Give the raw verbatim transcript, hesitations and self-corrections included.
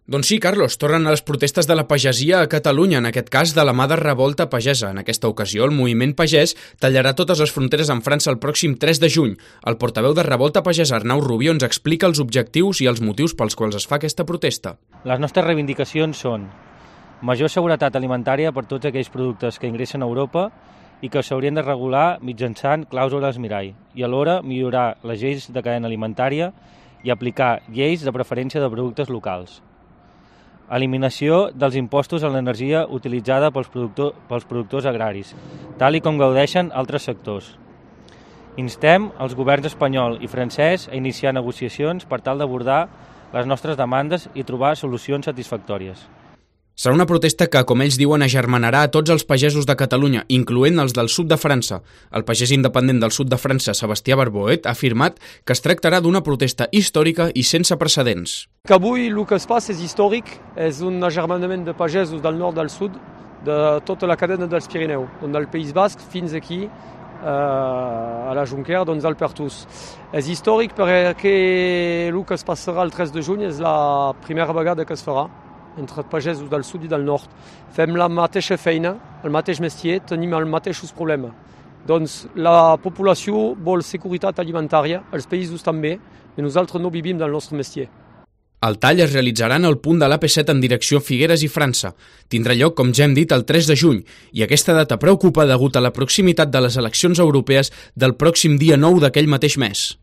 Doncs sí, Carlos, tornen a les protestes de la pagesia a Catalunya, en aquest cas de la mà de Revolta Pagesa. En aquesta ocasió, el moviment pagès tallarà totes les fronteres amb França el pròxim tres de juny. El portaveu de Revolta Pagesa, Arnau Rubió, ens explica els objectius i els motius pels quals es fa aquesta protesta. Les nostres reivindicacions són major seguretat alimentària per tots aquells productes que ingressen a Europa i que s'haurien de regular mitjançant clàusules mirall i alhora millorar les lleis de cadena alimentària i aplicar lleis de preferència de productes locals. Eliminació dels impostos a l'energia utilitzada pels, productor, pels productors agraris, tal i com gaudeixen altres sectors. Instem els governs espanyol i francès a iniciar negociacions per tal d'abordar les nostres demandes i trobar solucions satisfactòries. Serà una protesta que, com ells diuen, agermanarà a tots els pagesos de Catalunya, incloent els del sud de França. El pagès independent del sud de França, Sebastià Barboet, ha afirmat que es tractarà d'una protesta històrica i sense precedents. Que avui el que es passa és històric, és un agermanament de pagesos del nord al sud de tota la cadena dels Pirineus, del País Basc fins aquí, a la Jonquera, doncs al Pertús. És històric perquè el que es passarà el tres de juny és la primera vegada que es farà entre pagesos del sud i del nord. Fem la mateixa feina, el mateix mestier, tenim els mateixos problemes. Doncs la població vol seguretat alimentària, els països també, i nosaltres no vivim del nostre mestier. El tall es realitzarà en el punt de l'A P set en direcció Figueres i França. Tindrà lloc, com ja hem dit, el tres de juny, i aquesta data preocupa degut a la proximitat de les eleccions europees del pròxim dia nou d'aquell mateix mes.